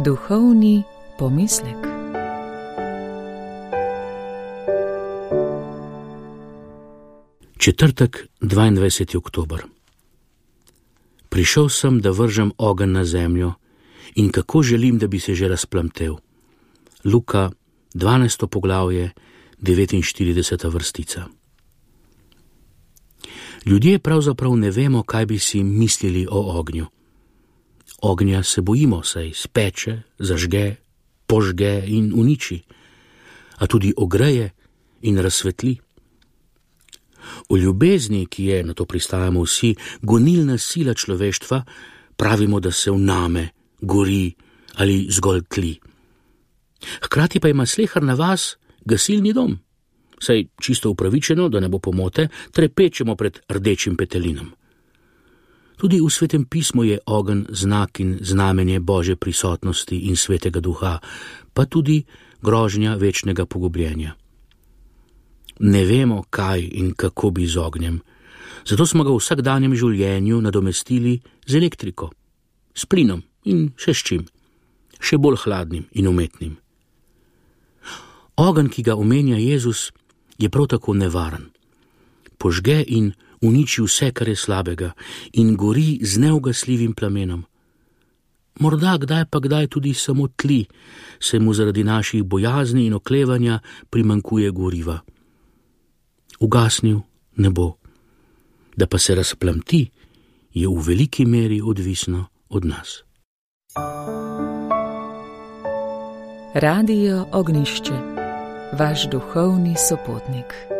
Duhovni pomislek. Četrtek, 22. oktober. Prišel sem, da vržem ogenj na zemljo in kako želim, da bi se že razplamtel. Luka, 12. poglavje, 49. vrstica. Ljudje pravzaprav ne vemo, kaj bi si mislili o ognju. Ognja se bojimo, saj speče, zažge, požge in uniči, a tudi ogreje in razsvetli. O ljubezni, ki je, na to pristajamo vsi, gonilna sila človeštva, pravimo, da se vname, gori ali zgolj tli. Hkrati pa ima sleherna vas gasilni dom, saj čisto upravičeno, da ne bo pomote, trepečemo pred rdečim petelinom. Tudi v Svetem pismu je ogenj znak in znamenje Božje prisotnosti in Svetega Duha, pa tudi grožnja večnega pogubljenja. Ne vemo, kaj in kako bi z ognjem, zato smo ga v vsakdanjem življenju nadomestili z elektriko, s plinom in še s čim, še bolj hladnim in umetnim. Ogenj, ki ga omenja Jezus, je prav tako nevaren. Požge in uniči vse, kar je slabega, in gori z neugasljivim plamenom. Morda kdaj tudi samo tli, se mu zaradi naših bojazni in oklevanja primanjkuje goriva. Ugasnil ne bo. Da pa se razplamti, je v veliki meri odvisno od nas. Radio Ognišče, vaš duhovni sopotnik.